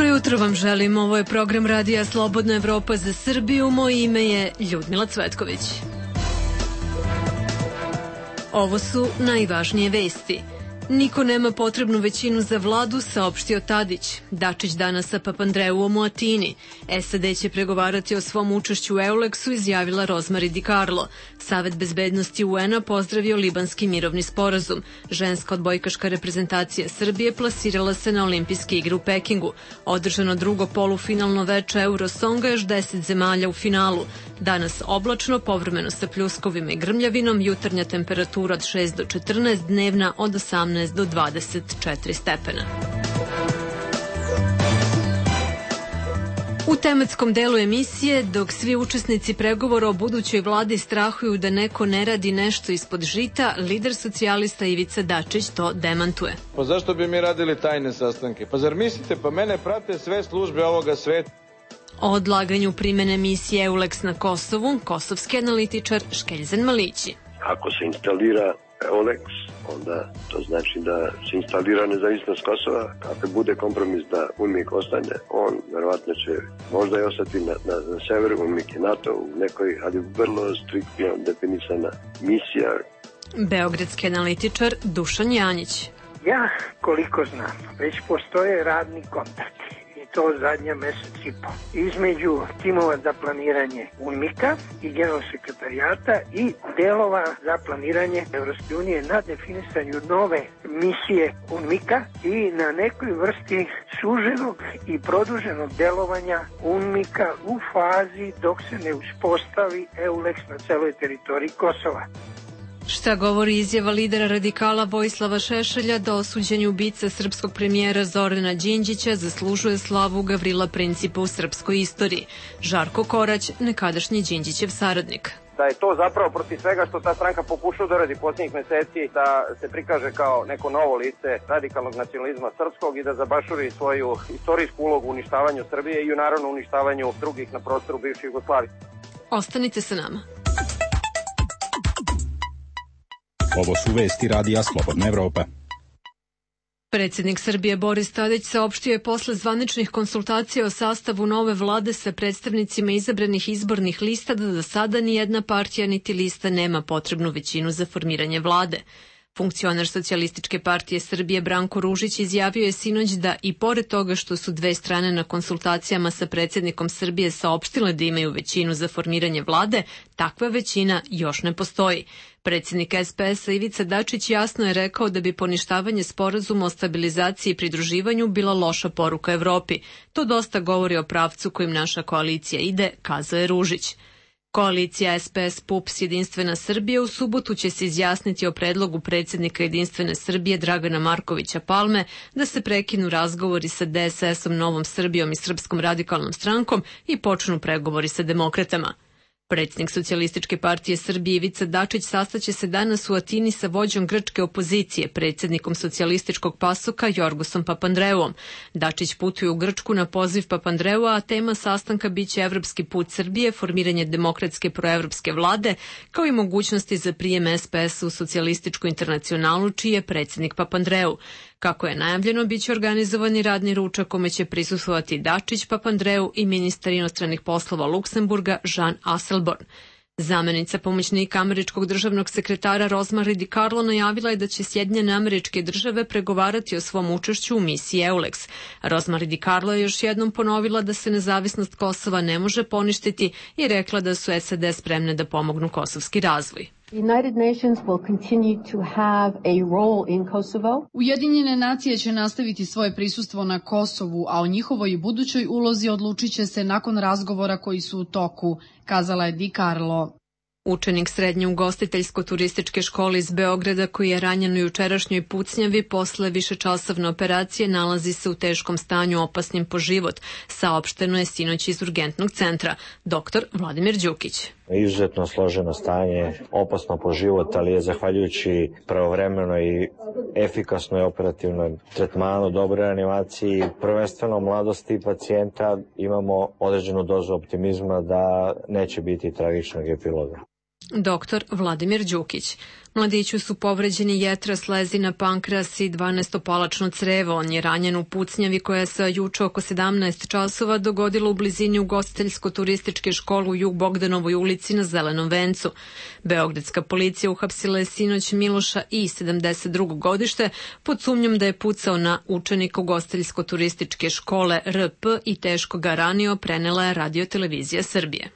jutro vam želim, ovo je program Radija Slobodna Evropa za Srbiju, moje ime je Ljudmila Cvetković. Ovo su najvažnije vesti. Niko nema potrebnu većinu za vladu, saopštio Tadić. Dačić danas sa Papandreouom u Atini. SAD će pregovarati o svom učešću u Euleksu, izjavila Rozmari Di Carlo. Savet bezbednosti UN-a pozdravio libanski mirovni sporazum. Ženska odbojkaška reprezentacija Srbije plasirala se na olimpijske igre u Pekingu. Održano drugo polufinalno veče Eurosonga, još 10 zemalja u finalu. Danas oblačno, povremeno sa pljuskovima i grmljavinom, jutarnja temperatura od 6 do 14, dnevna od 18 do 24 stepena. U tematskom delu emisije, dok svi učesnici pregovora o budućoj vladi strahuju da neko ne radi nešto ispod žita, lider socijalista Ivica Dačić to demantuje. Pa zašto bi mi radili tajne sastanke? Pa zar mislite, pa mene prate sve službe ovoga sveta? O odlaganju primene misije EULEX na Kosovu, kosovski analitičar Škeljzen Malići. Ako se instalira EULEX, onda to znači da se instalira nezavisnost Kosova. Ako bude kompromis da UNMIK ostane, on verovatno će možda i ostati na severu. UNMIK je NATO u nekoj, ali vrlo striktno definisana misija. Beogradski analitičar Dušan Janjić. Ja, koliko znam, već postoje radni kontakti. To zadnja mesec i po. Između timova za planiranje UNMIK-a i generalnog sekretarijata i delova za planiranje Evropske unije na definisanju nove misije UNMIK-a i na nekoj vrsti suženog i produženog delovanja UNMIK-a u fazi dok se ne uspostavi EULEX na celoj teritoriji Kosova. Šta govori izjava lidera radikala Vojislava Šešelja da osuđenje ubica srpskog premijera Zorana Đinđića zaslužuje slavu Gavrila Principa u srpskoj istoriji? Žarko Korać, nekadašnji Đinđićev saradnik. Da je to zapravo protiv svega što ta stranka pokušava da radi posljednjih meseci, da se prikaže kao neko novo lice radikalnog nacionalizma srpskog i da zabašuri svoju istorijsku ulogu u uništavanju Srbije i u naravno uništavanju drugih na prostoru bivše Jugoslavije. Ostanite sa nama. Ovo su vesti Radija Slobodna Evropa. Predsjednik Srbije Boris Tadić saopštio je posle zvaničnih konsultacija o sastavu nove vlade sa predstavnicima izabranih izbornih lista da do sada ni jedna partija niti lista nema potrebnu većinu za formiranje vlade. Funkcioner Socijalističke partije Srbije Branko Ružić izjavio je sinoć da i pored toga što su dve strane na konsultacijama sa predsjednikom Srbije saopštile da imaju većinu za formiranje vlade, takva većina još ne postoji. Predsjednik SPS-a Ivica Dačić jasno je rekao da bi poništavanje sporazuma o stabilizaciji i pridruživanju bila loša poruka Evropi. To dosta govori o pravcu kojim naša koalicija ide, kazao je Ružić. Koalicija SPS-PUPS Jedinstvena Srbija u subotu će se izjasniti o predlogu predsjednika Jedinstvene Srbije Dragana Markovića Palme da se prekinu razgovori sa DSS-om, Novom Srbijom i Srpskom radikalnom strankom i počnu pregovori sa demokratama. Predsjednik Socijalističke partije Srbije Ivica Dačić sastaće se danas u Atini sa vođom grčke opozicije, predsjednikom socijalističkog pasoka Jorgosom Papandreouom. Dačić putuje u Grčku na poziv Papandreoua, a tema sastanka biće evropski put Srbije, formiranje demokratske proevropske vlade, kao i mogućnosti za prijem SPS u socijalističku internacionalu, čiji je predsjednik Papandreou. Kako je najavljeno, biće organizovani radni ručak kome će prisustvovati Dačić, Papandreou i ministar inostranih poslova Luksemburga Jean Asselborn. Zamenica pomoćnika američkog državnog sekretara Rozmari Di Carlo najavila je da će Sjedinjene Američke Države pregovarati o svom učešću u misiji EULEX. Rozmari Di Carlo je još jednom ponovila da se nezavisnost Kosova ne može poništiti i rekla da su SAD spremne da pomognu kosovski razvoj. Ujedinjene nacije će nastaviti svoje prisustvo na Kosovu, a o njihovoj budućoj ulozi odlučit će se nakon razgovora koji su u toku, kazala je Di Carlo. Učenik srednje ugostiteljsko-turističke škole iz Beograda koji je ranjen u jučerašnjoj pucnjavi posle višečasovne operacije nalazi se u teškom stanju opasnim po život, saopšteno je sinoć iz urgentnog centra. Dr. Vladimir Đukić. Izuzetno složeno stanje, opasno po život, ali je zahvaljujući pravovremenoj i efikasnoj operativnoj tretmanu, dobroj animaciji, prvenstveno mladosti pacijenta, imamo određenu dozu optimizma da neće biti tragičnog epiloga. dr. Vladimir Đukić. Mladiću su povređeni jetra, slezina, pankreas i 12-palačno crevo. On je ranjen u pucnjavi koja se juče oko 17 časova dogodila u blizini ugostiteljsko-turističke škole u Jug Bogdanovoj ulici na Zelenom vencu. Beogradska policija uhapsila je sinoć Miloša I, 72. godište, pod sumnjom da je pucao na učenika ugostiteljsko-turističke škole RP i teško ga ranio, prenela je Radio-televizija Srbije.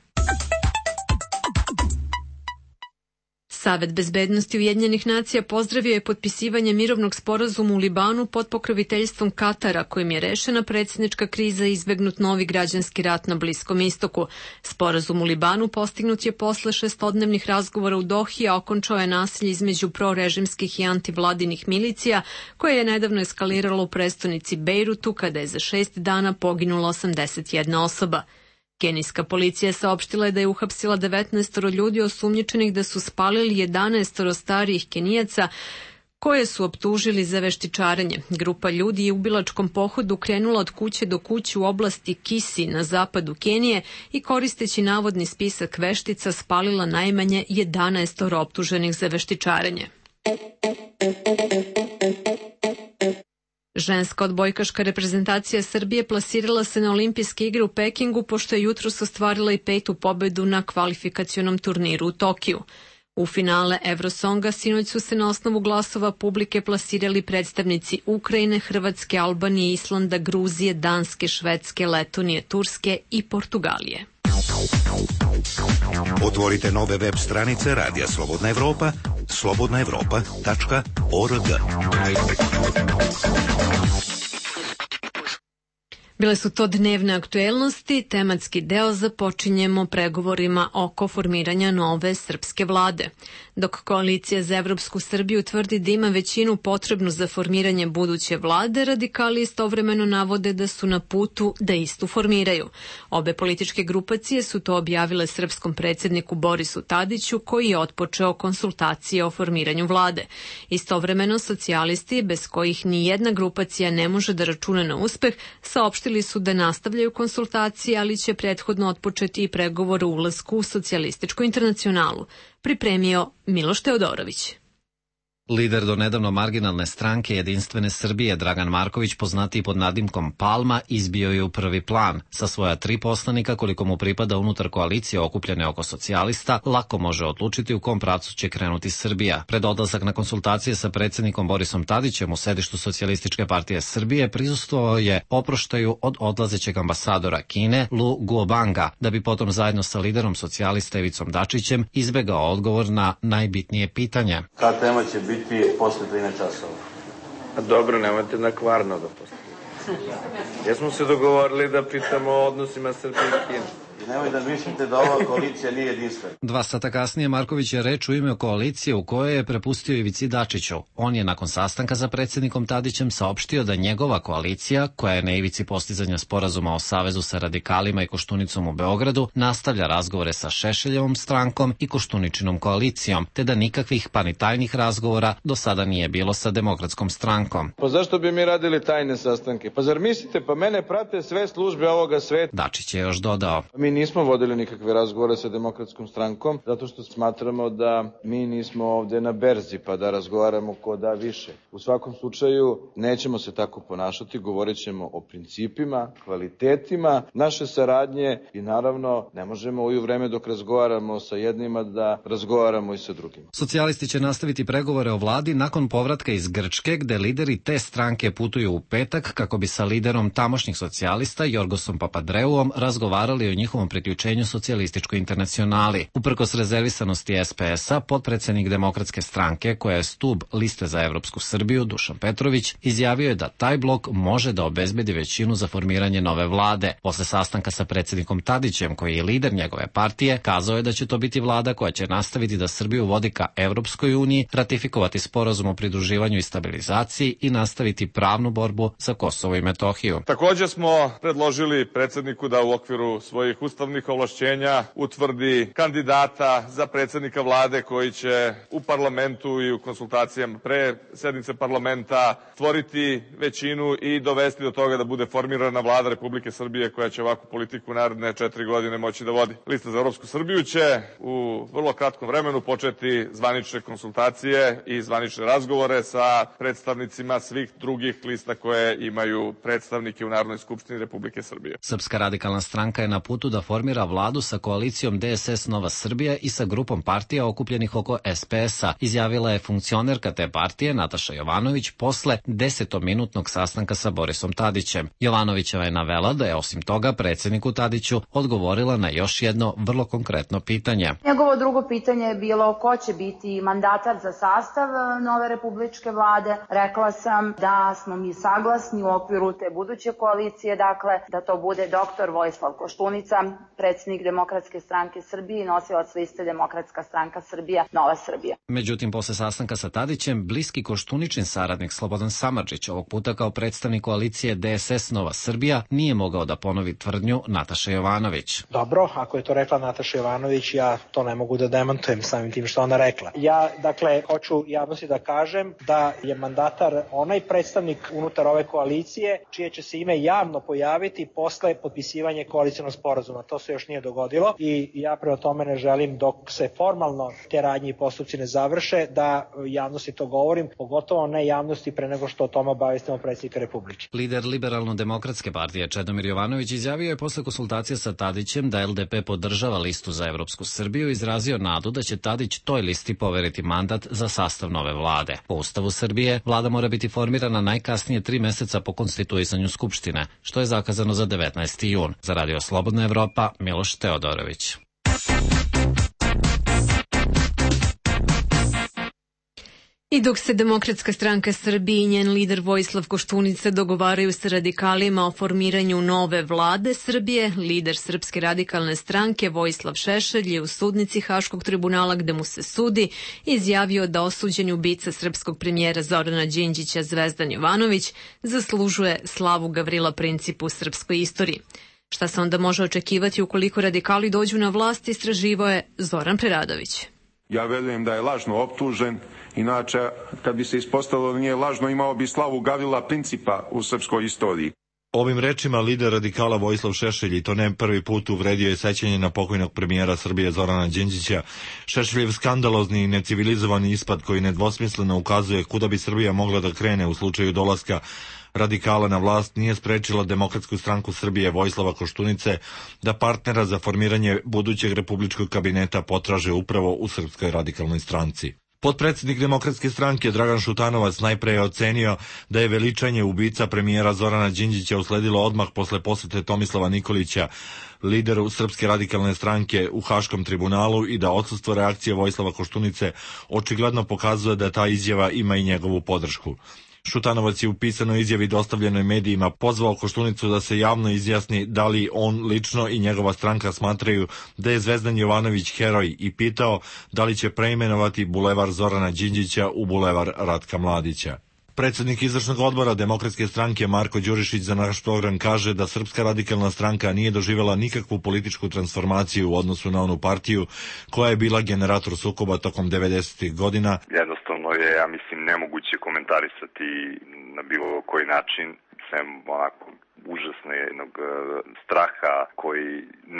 Savet bezbednosti Ujedinjenih nacija pozdravio je potpisivanje mirovnog sporazuma u Libanu pod pokroviteljstvom Katara, kojim je rešena predsjednička kriza i izbegnut novi građanski rat na Bliskom istoku. Sporazum u Libanu postignut je posle 6-dnevnih razgovora u Dohi, a okončao je nasilje između prorežimskih i antivladinih milicija, koje je nedavno eskaliralo u prestonici Bejrutu, kada je za 6 dana poginula 81 osoba. Kenijska policija saopštila je da je uhapsila 19 ljudi osumnjičenih da su spalili 11 starijih Kenijaca koje su optužili za veštičarenje. Grupa ljudi je u ubilačkom pohodu krenula od kuće do kuće u oblasti Kisi na zapadu Kenije i koristeći navodni spisak veštica spalila najmanje 11 optuženih za veštičarenje. Ženska odbojkaška reprezentacija Srbije plasirala se na olimpijske igre u Pekingu, pošto je jutros ostvarila i 5. pobedu na kvalifikacionom turniru u Tokiju. U finale Eurosonga sinoć su se na osnovu glasova publike plasirali predstavnici Ukrajine, Hrvatske, Albanije, Islanda, Gruzije, Danske, Švedske, Letonije, Turske i Portugalije. Otvorite nove web stranice Radija Slobodna Evropa, slobodnaevropa.org. Bile su to dnevne aktuelnosti, tematski deo započinjemo pregovorima oko formiranja nove srpske vlade. Dok Koalicija za Evropsku Srbiju tvrdi da ima većinu potrebnu za formiranje buduće vlade, radikali istovremeno navode da su na putu da istu formiraju. Obe političke grupacije su to objavile srpskom predsjedniku Borisu Tadiću, koji je otpočeo konsultacije o formiranju vlade. Istovremeno socijalisti, bez kojih ni jedna grupacija ne može da računa na uspeh, saopštili su da nastavljaju konsultacije, ali će prethodno otpočeti i pregovor o ulasku u socijalističku internacionalu. Pripremio Miloš Teodorović. Lider do nedavno marginalne stranke Jedinstvene Srbije Dragan Marković, poznatiji pod nadimkom Palma, izbio je u prvi plan. Sa svoja 3 poslanika, koliko mu pripada unutar koalicije okupljene oko socijalista, lako može odlučiti u kom pravcu će krenuti Srbija. Pred odlazak na konsultacije sa predsjednikom Borisom Tadićem u sedištu Socijalističke partije Srbije prisustvovao je oproštaju od odlazećeg ambasadora Kine Lu Guobanga, da bi potom zajedno sa liderom socijalista Ivicom Dačićem izbegao odgovor na najbitnije pitanje. Ta tema će biti posle 13 časova. A dobro, nemojte na Kvarno da postavite. Jesmo se dogovorili da pitamo o odnosima Srbije i Kine. I nemoj da mislite da ova koalicija nije jedinstvena. 2 sata kasnije Marković je reč u ime koalicije u kojoj je prepustio Ivici Dačiću. On je nakon sastanka sa predsjednikom Tadićem saopštio da njegova koalicija, koja je na ivici postizanja sporazuma o savezu sa radikalima i Koštunicom u Beogradu, nastavlja razgovore sa Šešeljevom strankom i Koštuničinom koalicijom, te da nikakvih pa ni tajnih razgovora do sada nije bilo sa Demokratskom strankom. Pa zašto bi mi radili tajne sastanke? Pa zar mislite, pa mene prate sve službe ovoga sveta? Dačić je još dodao. Mi nismo vodili nikakve razgovore sa Demokratskom strankom, zato što smatramo da mi nismo ovde na berzi pa da razgovaramo ko da više. U svakom slučaju nećemo se tako ponašati, govorit ćemo o principima, kvalitetima naše saradnje i naravno ne možemo u vreme dok razgovaramo sa jednima da razgovaramo i sa drugima. Socijalisti će nastaviti pregovore o vladi nakon povratka iz Grčke, gde lideri te stranke putuju u petak kako bi sa liderom tamošnjih socijalista Jorgosom Papadreuom razgovarali o njihovom priključenju socijalističkoj internacionali. Uprkos rezervisanosti SPS-a, potpredsednik Demokratske stranke, koja je stub liste za Evropsku Srbiju, Dušan Petrović, izjavio je da taj blok može da obezbedi većinu za formiranje nove vlade. Posle sastanka sa predsjednikom Tadićem, koji je lider njegove partije, kazao je da će to biti vlada koja će nastaviti da Srbiju vodi ka Evropskoj uniji, ratifikovati sporazum o pridruživanju i stabilizaciji i nastaviti pravnu borbu za Kosovo i Metohiju. Takođe smo predložili predsjedniku da u okviru svojih ustavnih ovlašćenja utvrdi kandidata za predsjednika vlade koji će u parlamentu i u konsultacijama pre sednice parlamenta stvoriti većinu i dovesti do toga da bude formirana vlada Republike Srbije koja će ovakvu politiku naredne 4 godine moći da vodi. Lista za Evropsku Srbiju će u vrlo kratkom vremenu početi zvanične konsultacije i zvanične razgovore sa predstavnicima svih drugih lista koje imaju predstavnike u Narodnoj skupštini Republike Srbije. Srpska radikalna stranka je na putu da formira vladu sa koalicijom DSS Nova Srbija i sa grupom partija okupljenih oko SPS-a, izjavila je funkcionerka te partije Nataša Jovanović posle 10-minutnog sastanka sa Borisom Tadićem. Jovanovićeva je navela da je osim toga predsjedniku Tadiću odgovorila na još jedno vrlo konkretno pitanje. Njegovo drugo pitanje je bilo ko će biti mandatar za sastav nove republičke vlade. Rekla sam da smo mi saglasni u okviru te buduće koalicije, dakle da to bude dr. Vojislav Koštunica, predsjednik Demokratske stranke Srbije i nosilac liste Demokratska stranka Srbija, Nova Srbija. Međutim, posle sastanka sa Tadićem, bliski Koštuničin saradnik Slobodan Samardžić, ovog puta kao predstavnik koalicije DSS Nova Srbija, nije mogao da ponovi tvrdnju Nataše Jovanović. Dobro, ako je to rekla Nataša Jovanović, ja to ne mogu da demantujem samim tim što ona rekla. Ja, dakle, hoću javnosti da kažem da je mandatar onaj predstavnik unutar ove koalicije čije će se ime javno pojaviti posle potpisivanja koalicionog sporazuma. To se još nije dogodilo i ja prema tome ne želim dok se formalno te radnje i postupci ne završe da javnosti to govorim, pogotovo ne javnosti pre nego što o tome obavestimo predsjednika Republike. Lider Liberalno-demokratske partije Čedomir Jovanović izjavio je posle konsultacija sa Tadićem da LDP podržava listu za Evropsku Srbiju i izrazio nadu da će Tadić toj listi poveriti mandat za sastav nove vlade. Po Ustavu Srbije, vlada mora biti formirana najkasnije 3 meseca po konstituisanju Skupštine, što je zakazano za 19. jun. Za Radio Slobodna Evropa, Miloš Teodorović. I dok se Demokratska stranka Srbije i njen lider Vojislav Koštunica dogovaraju sa radikalima o formiranju nove vlade Srbije, lider Srpske radikalne stranke Vojislav Šešelj je u sudnici Haškog tribunala gde mu se sudi izjavio da osuđeni ubica srpskog premijera Zorana Đinđića Zvezdan Jovanović zaslužuje slavu Gavrila Principa u srpskoj istoriji. Šta se onda može očekivati ukoliko radikali dođu na vlast, istraživao je Zoran Preradović. Ja verujem da je lažno optužen, inače kad bi se ispostavilo da nije lažno imao bi slavu Gavrila Principa u srpskoj istoriji. Ovim rečima lider radikala Vojislav Šešelj, i to ne prvi put, uvredio je sećanje na pokojnog premijera Srbije Zorana Đinđića. Šešeljev skandalozni i necivilizovani ispad koji nedvosmisleno ukazuje kuda bi Srbija mogla da krene u slučaju dolaska radikala na vlast nije sprečila Demokratsku stranku Srbije Vojislava Koštunice da partnera za formiranje budućeg republičkog kabineta potraže upravo u Srpskoj radikalnoj stranci. Potpredsednik Demokratske stranke Dragan Šutanovac najpre je ocenio da je veličanje ubica premijera Zorana Đinđića usledilo odmah posle posete Tomislava Nikolića, lideru Srpske radikalne stranke u Haškom tribunalu, i da odsustvo reakcije Vojislava Koštunice očigledno pokazuje da ta izjava ima i njegovu podršku. Šutanovac je u pisanoj izjavi dostavljenoj medijima pozvao Koštunicu da se javno izjasni da li on lično i njegova stranka smatraju da je Zvezdan Jovanović heroj i pitao da li će preimenovati bulevar Zorana Đinđića u bulevar Ratka Mladića. Predsednik izvršnog odbora Demokratske stranke Marko Đurišić za naš program kaže da Srpska radikalna stranka nije doživjela nikakvu političku transformaciju u odnosu na onu partiju koja je bila generator sukoba tokom 90. godina. Jednostavno je, ja mislim, nemoguće komentarisati na bilo koji način, sem onako užasnog straha koji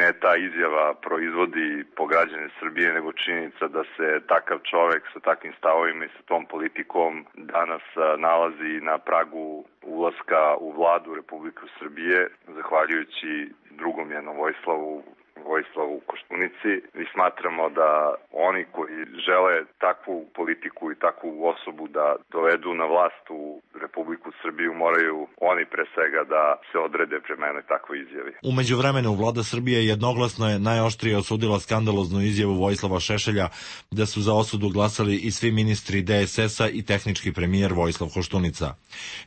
ne ta izjava proizvodi po građane Srbije, nego činjenica da se takav čovek sa takvim stavovima i sa tom politikom danas nalazi na pragu ulaska u vladu Republike Srbije, zahvaljujući drugom jednom Vojislavu Koštunici. I smatramo da oni koji žele takvu politiku i takvu osobu da dovedu na vlast u Republiku Srbiju, moraju oni pre svega da se odrede prema jednoj takvoj izjavi. U međuvremenu vlada Srbije jednoglasno je najoštrije osudila skandaloznu izjavu Vojislava Šešelja da su za osudu glasali i svi ministri DSS-a i tehnički premijer Vojislav Koštunica.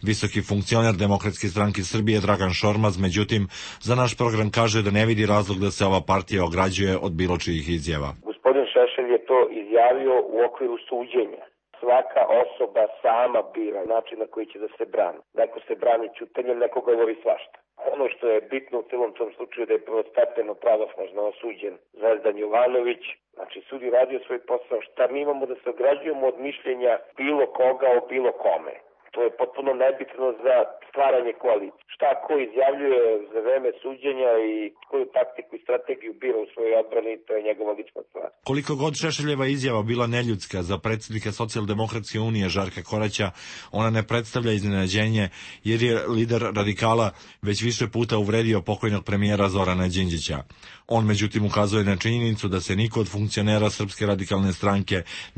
Visoki funkcioner Demokratske stranke Srbije Dragan Šormaz, međutim, za naš program kaže da ne vidi razlog da se ova partija ograđuje od bilo čijih izjava. Gospodin Šešelj je to izjavio u okviru suđenja. Svaka osoba sama bira način na koji će da se brani. Neko se brani ćutanjem, neko govori svašta. Ono što je bitno u celom tom slučaju da je prvostepeno pravosnažno osuđen Zvezdan Jovanović. Znači, sud je radio svoj posao. Šta mi imamo da se ograđujemo od mišljenja bilo koga o bilo kome? To je potpuno nebitno za stvaranje koalicije. Šta ko izjavljuje za vreme suđenja i koju taktiku i strategiju bira u svojoj odbrani, to je njegova lična stvar. Koliko god Šešeljeva izjava bila neljudska za predsjednika Socijaldemokratske unije Žarka Koraća, ona ne predstavlja iznenađenje jer je lider radikala već više puta uvredio pokojnog premijera Zorana Đinđića. On međutim ukazuje na činjenicu da se niko od funkcionera Srpske radikalne stranke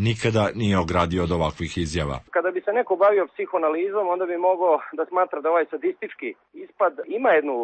nikada nije ogradio od ovakvih izjava. Kada bi se neko bavio psihoanalizom, onda bi mogao da smatra da ovaj sadistički ispad ima jednu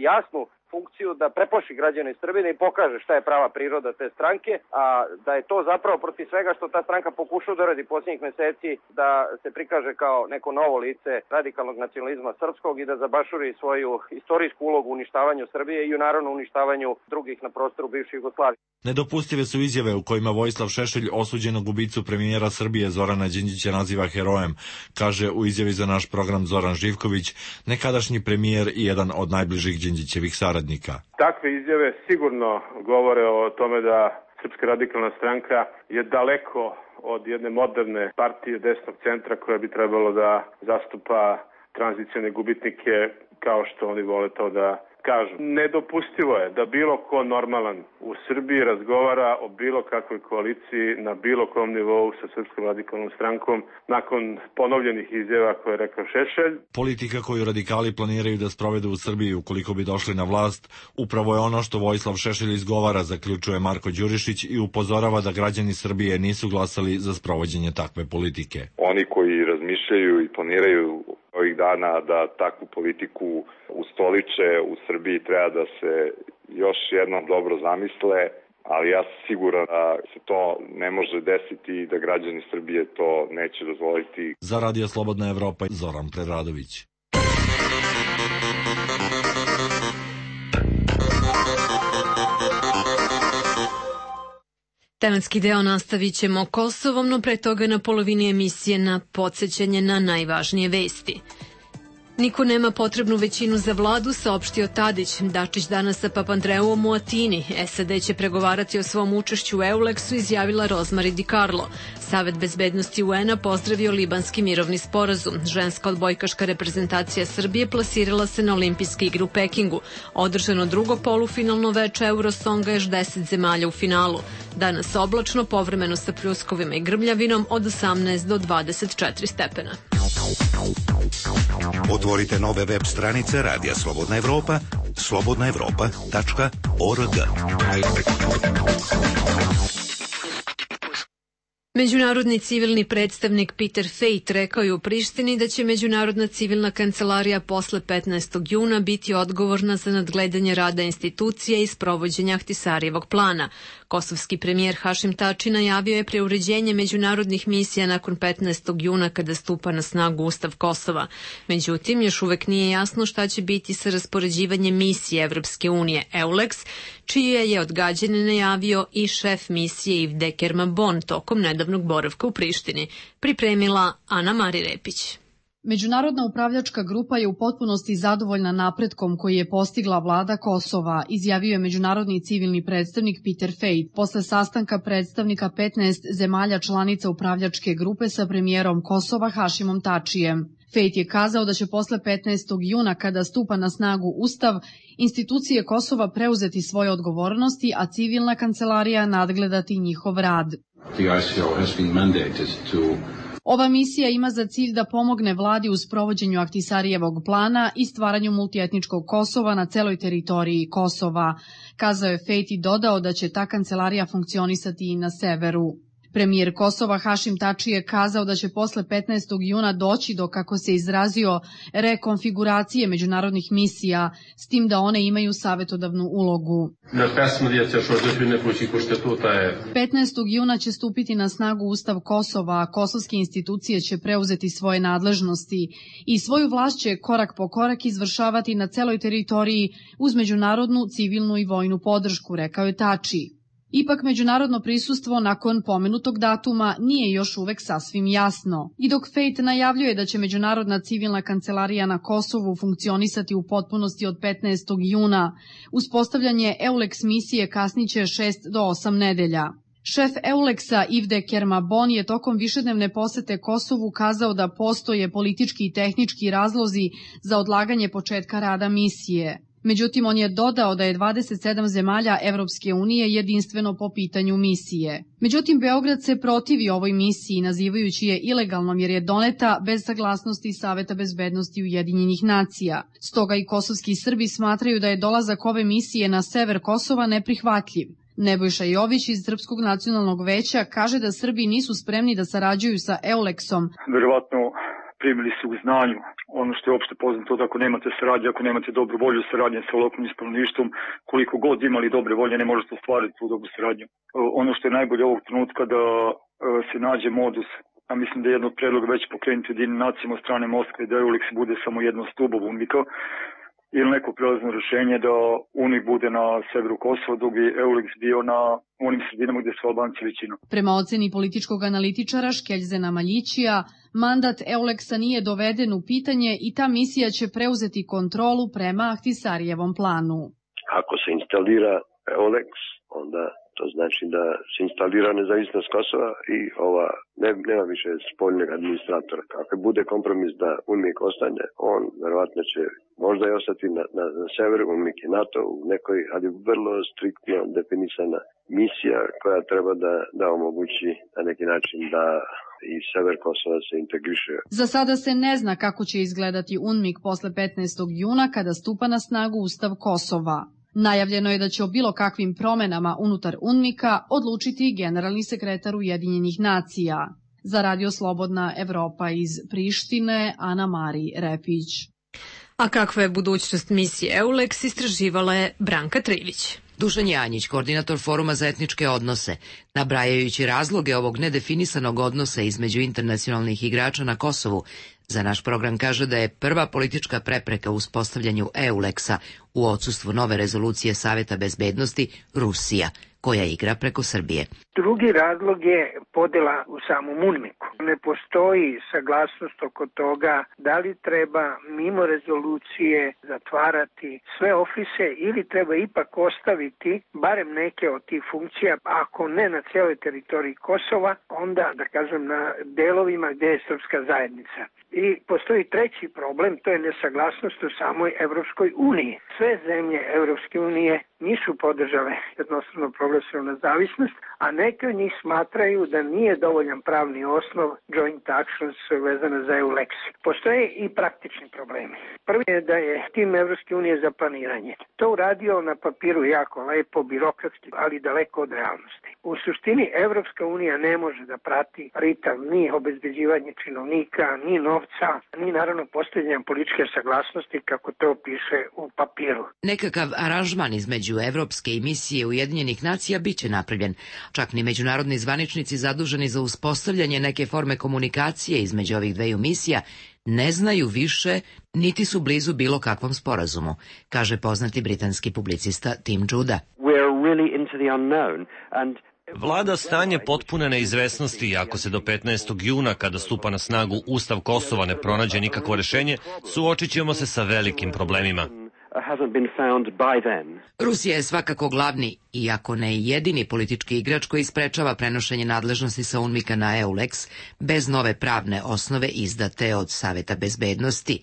jasnu funkciju da preplaši građane Srbije i pokaže šta je prava priroda te stranke, a da je to zapravo protiv svega što ta stranka pokušava da radi posljednjih meseci, da se prikaže kao neko novo lice radikalnog nacionalizma srpskog i da zabašuri svoju istorijsku ulogu u uništavanju Srbije i u naravno uništavanju drugih na prostoru bivše Jugoslavije. Nedopustive su izjave u kojima Vojislav Šešelj osuđenog ubicu premijera Srbije Zorana Đinđića naziva herojem, kaže u izjavi za naš program Zoran Živković, nekadašnji premijer i jedan od najbližih Đinđićevih saradnika. Takve izjave sigurno govore o tome da Srpska radikalna stranka je daleko od jedne moderne partije desnog centra koja bi trebalo da zastupa tranzicione gubitnike kao što oni vole to da kažu. Nedopustivo je da bilo ko normalan u Srbiji razgovara o bilo kakvoj koaliciji na bilo kom nivou sa Srpskom radikalnom strankom nakon ponovljenih izjava koje je rekao Šešelj. Politika koju radikali planiraju da sprovedu u Srbiji ukoliko bi došli na vlast, upravo je ono što Vojislav Šešelj izgovara, zaključuje Marko Đurišić i upozorava da građani Srbije nisu glasali za sprovođenje takve politike. Oni koji razmišljaju i planiraju ovih dana da takvu politiku ustoliče u Srbiji treba da se još jednom dobro zamisle, ali ja sam siguran da se to ne može desiti i da građani Srbije to neće dozvoliti. Za Radio Slobodna Evropa, Zoran Preradović. Tematski deo nastavit ćemo Kosovom, no pre toga na polovini emisije na podsjećanje na najvažnije vesti. Niko nema potrebnu većinu za vladu, saopštio Tadić. Dačić danas sa Papandreouom u Atini. SAD će pregovarati o svom učešću u EULEX-u, izjavila Rozmari Di Carlo. Savet bezbednosti UN-a pozdravio libanski mirovni sporazum. Ženska odbojkaška reprezentacija Srbije plasirala se na olimpijske igre u Pekingu. Održano drugo polufinalno veče Eurosonga, još 10 zemalja u finalu. Danas oblačno, povremeno sa pljuskovima i grmljavinom od 18 do 24 stepena. Otvorite nove web stranice Radija Slobodna Evropa, slobodnaevropa.org. Međunarodni civilni predstavnik Peter Fejt rekao je u Prištini da će Međunarodna civilna kancelarija posle 15. juna biti odgovorna za nadgledanje rada institucija i sprovođenja Ahtisarijevog plana. Kosovski premijer Hašim Tači najavio je preuređenje međunarodnih misija nakon 15. juna kada stupa na snagu Ustav Kosova. Međutim, još uvek nije jasno šta će biti sa raspoređivanjem misije Evropske unije EULEX, čije je odgađanje najavio i šef misije Yves Kerman-Bon tokom nedavnog boravka u Prištini. Pripremila Ana Mari Repić. Međunarodna upravljačka grupa je u potpunosti zadovoljna napretkom koji je postigla vlada Kosova, izjavio je međunarodni civilni predstavnik Peter Fejt posle sastanka predstavnika 15 zemalja članica upravljačke grupe sa premijerom Kosova Hašimom Tačijem. Fejt je kazao da će posle 15. juna, kada stupa na snagu Ustav, institucije Kosova preuzeti svoje odgovornosti, a civilna kancelarija nadgledati njihov rad. Ova misija ima za cilj da pomogne vladi u sprovođenju Ahtisarijevog plana i stvaranju multietničkog Kosova na celoj teritoriji Kosova. Kazao je Fejt i dodao da će ta kancelarija funkcionisati i na severu. Premijer Kosova Hašim Tači je kazao da će posle 15. juna doći do, kako se izrazio, rekonfiguracije međunarodnih misija, s tim da one imaju savetodavnu ulogu. 15. juna će stupiti na snagu Ustav Kosova, a kosovske institucije će preuzeti svoje nadležnosti i svoju vlast će korak po korak izvršavati na celoj teritoriji uz međunarodnu, civilnu i vojnu podršku, rekao je Tači. Ipak međunarodno prisustvo nakon pomenutog datuma nije još uvek sasvim jasno. I dok Fejt najavljuje da će Međunarodna civilna kancelarija na Kosovu funkcionisati u potpunosti od 15. juna, uspostavljanje EULEX misije kasniće 6 do 8 nedelja. Šef EULEX-a Ivde Kermabon je tokom višednevne posete Kosovu kazao da postoje politički i tehnički razlozi za odlaganje početka rada misije. Međutim, on je dodao da je 27 zemalja Evropske unije jedinstveno po pitanju misije. Međutim, Beograd se protivi ovoj misiji, nazivajući je ilegalnom jer je doneta bez saglasnosti Saveta bezbednosti Ujedinjenih nacija. Stoga i kosovski Srbi smatraju da je dolazak ove misije na sever Kosova neprihvatljiv. Nebojša Jović iz Srpskog nacionalnog veća kaže da Srbi nisu spremni da sarađuju sa EULEX-om. Verovatno primili su u znanju ono što je opšte poznato da ako nemate saradnje, ako nemate dobru volju saradnje sa lokalnim stanovništvom, koliko god imali dobre volje ne možete ostvariti tu dobru saradnju. Ono što je najbolje ovog trenutka da se nađe modus, a mislim da je jedno od predloga već pokrenuti Ujedinjenim nacijama od strane Moskve da EULEX bude samo jedno stubo UNMIK-a ili neko prelazno rešenje da UNMIK bude na severu Kosova, dok bi EULEX bio na onim sredinama gde su Albanci većina. Prema oceni političkog analitičara Škeljzena Maljićija, mandat EULEX-a nije doveden u pitanje i ta misija će preuzeti kontrolu prema Ahtisarijevom planu. Ako se instalira EULEX, onda to znači da se instalira nezavisnost Kosova i nema više spoljnog administratora. Ako bude kompromis da UNMIK ostane, on verovatno će možda i ostati na severu, UNMIK je NATO u nekoj, ali vrlo striktno definisana misija koja treba da omogući na neki način da i sever Kosova se integriše. Za sada se ne zna kako će izgledati UNMIK posle 15. juna kada stupa na snagu Ustav Kosova. Najavljeno je da će o bilo kakvim promenama unutar UNMIK-a odlučiti generalni sekretar Ujedinjenih nacija. Za Radio Slobodna Evropa iz Prištine, Ana Mari Repić. A kakva je budućnost misije EULEX istraživala je Branka Trivić. Dušan Janjić, koordinator Foruma za etničke odnose, nabrajajući razloge ovog nedefinisanog odnosa između internacionalnih igrača na Kosovu, za naš program kaže da je prva politička prepreka u uspostavljanju EULEX-a u odsustvu nove rezolucije Saveta bezbednosti Rusija, koja igra preko Srbije. Drugi razlog je podela u samom UNMIK-u. Ne postoji saglasnost oko toga da li treba mimo rezolucije zatvarati sve ofise ili treba ipak ostaviti barem neke od tih funkcija, ako ne na cijeloj teritoriji Kosova, onda da kažem na delovima gdje je srpska zajednica. I postoji treći problem, to je nesaglasnost u samoj Evropskoj uniji. Sve zemlje Evropske unije nisu podržale jednostavno proglasenu nezavisnost, a neke od njih smatraju da nije dovoljan pravni osnov joint actions vezane za EULEX. Postoje i praktični problemi. Prvi je da je tim Evropske unije za planiranje to uradio na papiru jako lepo, birokratski, ali daleko od realnosti. U suštini Evropska unija ne može da prati ritam ni obezbeđivanje činovnika, ni novca, ni naravno postavljanje političke saglasnosti kako to piše u papiru. Nekakav aranžman između Evropske i misije Ujedinjenih nacija biće napravljen. Čak ni međunarodni zvaničnici zaduženi za uspostavljanje neke forme komunikacije između ovih dveju misija ne znaju više, niti su blizu bilo kakvom sporazumu, kaže poznati britanski publicista Tim Judah. Vlada stanje potpune neizvesnosti i ako se do 15. juna, kada stupa na snagu Ustav Kosova, ne pronađe nikakvo rešenje, suočit ćemo se sa velikim problemima. Rusija je svakako glavni, iako ne jedini politički igrač koji sprečava prenošenje nadležnosti sa UNMIK-a na EULEX bez nove pravne osnove izdate od Saveta bezbednosti.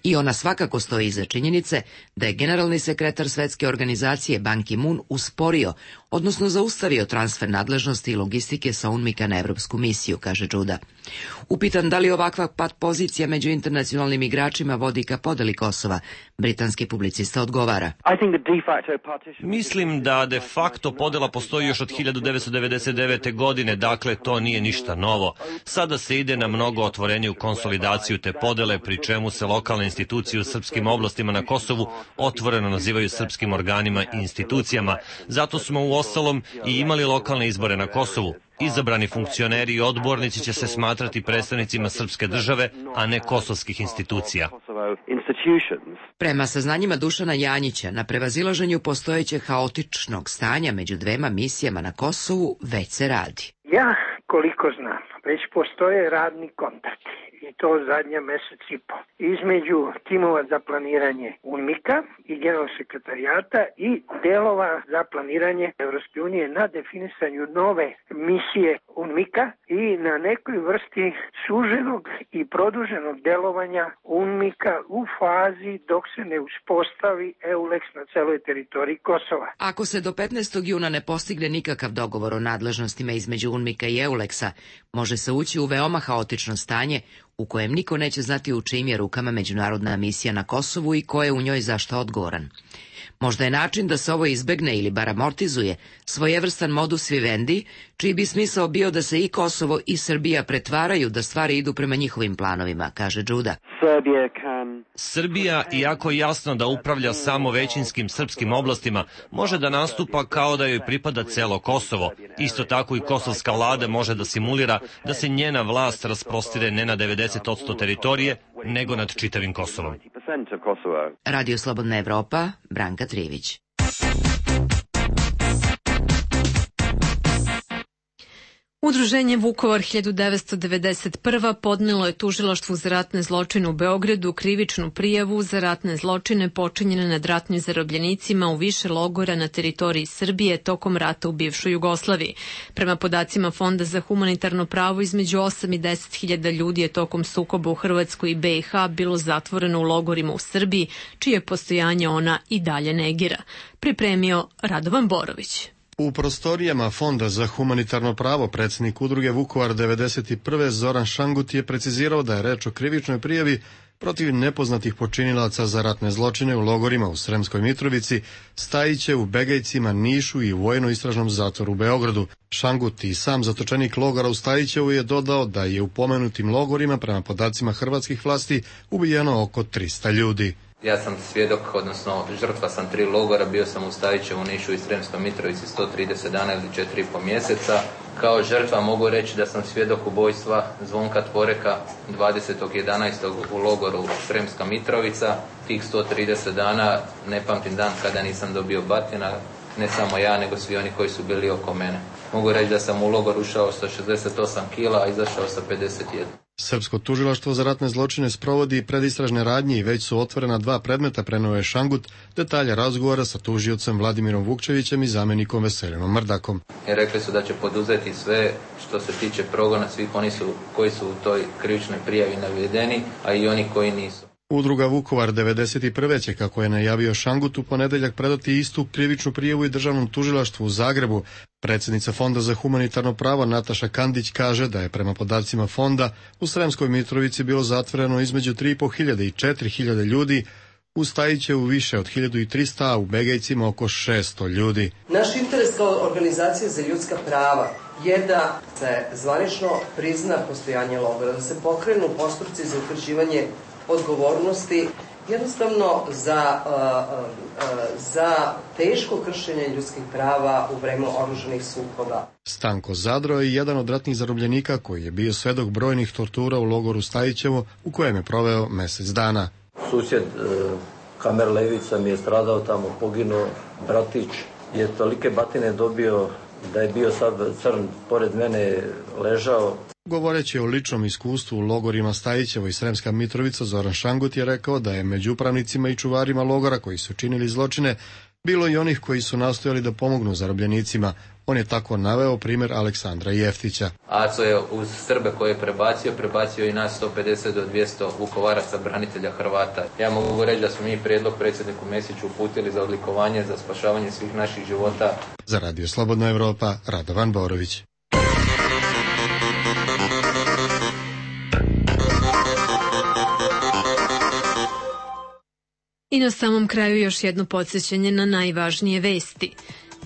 I ona svakako stoji iza činjenice da je generalni sekretar Svetske organizacije Ban Ki-moon usporio, odnosno zaustavio transfer nadležnosti i logistike sa UNMIK-a na evropsku misiju, kaže Judah. Upitan da li ovakva pat pozicija među internacionalnim igračima vodi ka podeli Kosova, britanski publicista odgovara. Mislim da de facto podela postoji još od 1999. godine, dakle to nije ništa novo. Sada se ide na mnogo otvoreniju konsolidaciju te podele, pri čemu se lokalne institucije u srpskim oblastima na Kosovu otvoreno nazivaju srpskim organima i institucijama. Zato smo uostalom i imali lokalne izbore na Kosovu. Izabrani funkcioneri i odbornici će se smatrati predstavnicima srpske države, a ne kosovskih institucija. Prema saznanjima Dušana Janjića, na prevazilaženju postojećeg haotičnog stanja među dvema misijama na Kosovu već se radi. Ja, koliko znam, već postoje radni kontakti. I to zadnja mesec i po. Između timova za planiranje UNMIK-a i generalnog sekretarijata i delova za planiranje Evropske unije na definisanju nove misije UNMIK-a i na nekoj vrsti suženog i produženog delovanja UNMIK-a u fazi dok se ne uspostavi EULEX na celoj teritoriji Kosova. Ako se do 15. juna ne postigne nikakav dogovor o nadležnostima između UNMIK-a i EULEX-a, može se ući u veoma haotično stanje u kojem niko neće znati u čijim je rukama međunarodna misija na Kosovu i ko je u njoj za šta odgovoran. Možda je način da se ovo izbegne ili bar amortizuje svojevrstan modus vivendi, čiji bi smisao bio da se i Kosovo i Srbija pretvaraju da stvari idu prema njihovim planovima, kaže Džuda. Srbija, iako jasno da upravlja samo većinskim srpskim oblastima, može da nastupa kao da joj pripada celo Kosovo. Isto tako i kosovska vlada može da simulira da se njena vlast rasprostire ne na 90% teritorije, nego nad čitavim Kosovom. Radio Slobodna Evropa, Branka Trivić. Udruženje Vukovar 1991. podnelo je tužilaštvu za ratne zločine u Beogradu krivičnu prijavu za ratne zločine počinjene nad ratnim zarobljenicima u više logora na teritoriji Srbije tokom rata u bivšoj Jugoslaviji. Prema podacima Fonda za humanitarno pravo, između 8 i 10 hiljada ljudi je tokom sukoba u Hrvatskoj i BiH bilo zatvoreno u logorima u Srbiji, čije postojanje ona i dalje negira. Pripremio Radovan Borović. U prostorijama Fonda za humanitarno pravo predsjednik udruge Vukovar 91. Zoran Šangut je precizirao da je reč o krivičnoj prijavi protiv nepoznatih počinilaca za ratne zločine u logorima u Sremskoj Mitrovici, Stajiće, u Begejcima, Nišu i u vojno-istražnom zatvoru u Beogradu. Šangut i sam zatočenik logora u Stajićevu je dodao da je u pomenutim logorima prema podacima hrvatskih vlasti ubijeno oko 300 ljudi. Ja sam svjedok, odnosno žrtva sam 3 logora, bio sam u Stajićevu, Nišu i Sremskoj Mitrovici 130 dana ili 4,5 mjeseca. Kao žrtva mogu reći da sam svjedok ubojstva Zvonka Tvoreka 20.11. u logoru Sremska Mitrovica. Tih 130 dana ne pamtim dan kada nisam dobio batina, ne samo ja, nego svi oni koji su bili oko mene. Mogu reći da sam u logor ušao sa 68 kila, a izašao sa 51. Srpsko tužilaštvo za ratne zločine sprovodi predistražne radnje i već su otvorena 2 predmeta, preneo je Šangut, detalje razgovora sa tužiocem Vladimirom Vukčevićem i zamjenikom Veselinom Mrdakom. Rekli su da će poduzeti sve što se tiče progona svih oni koji su u toj krivičnoj prijavi navedeni, a i oni koji nisu. Udruga Vukovar 91. će, kako je najavio Šangut, u ponedeljak predati istu krivičnu prijavu i državnom tužilaštvu u Zagrebu. Predsjednica Fonda za humanitarno pravo Nataša Kandić kaže da je prema podacima Fonda u Sremskoj Mitrovici bilo zatvoreno između 3.500 i 4.000 ljudi, u Stajićevu više od 1.300, a u Begejcima oko 600 ljudi. Naš interes kao organizacije za ljudska prava je da se zvanično prizna postojanje logora, da se pokrenu postupci za utvrđivanje odgovornosti jednostavno za teško kršenje ljudskih prava u vreme oružanih sukoba. Stanko Zadro je jedan od ratnih zarobljenika koji je bio svedok brojnih tortura u logoru Stajićevo, u kojem je proveo mjesec dana. Susjed Kamer Levica mi je stradao tamo, poginuo, bratić je tolike batine dobio da je bio sad crn, pored mene ležao. Govoreći o ličnom iskustvu u logorima Stajićevo i Sremska Mitrovica, Zoran Šangut je rekao da je među upravnicima i čuvarima logora koji su činili zločine bilo i onih koji su nastojali da pomognu zarobljenicima. On je tako naveo primjer Aleksandra Jeftića. Aco je uz Srbe koje je prebacio i nas 150 do 200 Vukovaraca, branitelja Hrvata. Ja mogu reći da smo mi prijedlog predsjedniku Mesiću uputili za odlikovanje, za spašavanje svih naših života. Za Radio Slobodna Evropa, Radovan Borović. I na samom kraju još jedno podsjećanje na najvažnije vesti.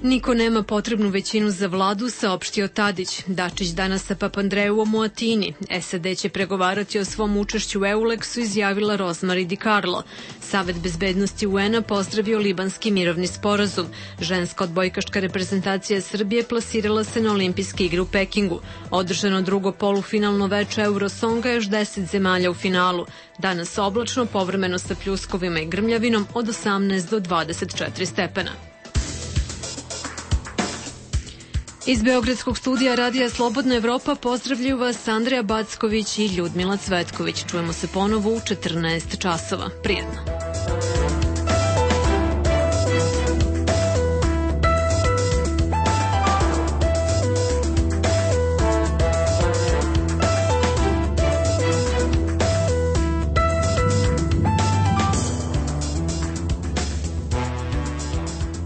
Niko nema potrebnu većinu za vladu, saopštio Tadić. Dačić danas sa Papandreouom u Atini. SAD će pregovarati o svom učešću u EULEX-u, izjavila Rosemary DiCarlo. Savet bezbednosti UN-a pozdravio libanski mirovni sporazum. Ženska odbojkaška reprezentacija Srbije plasirala se na olimpijske igre u Pekingu. Održano drugo polufinalno veče Eurosonga, još 10 zemalja u finalu. Danas oblačno, povremeno sa pljuskovima i grmljavinom od 18 do 24 stepena. Iz Beogradskog studija Radija Slobodna Evropa pozdravljaju vas Andreja Backović i Ljudmila Cvetković. Čujemo se ponovo u 14 časova. Prijetno.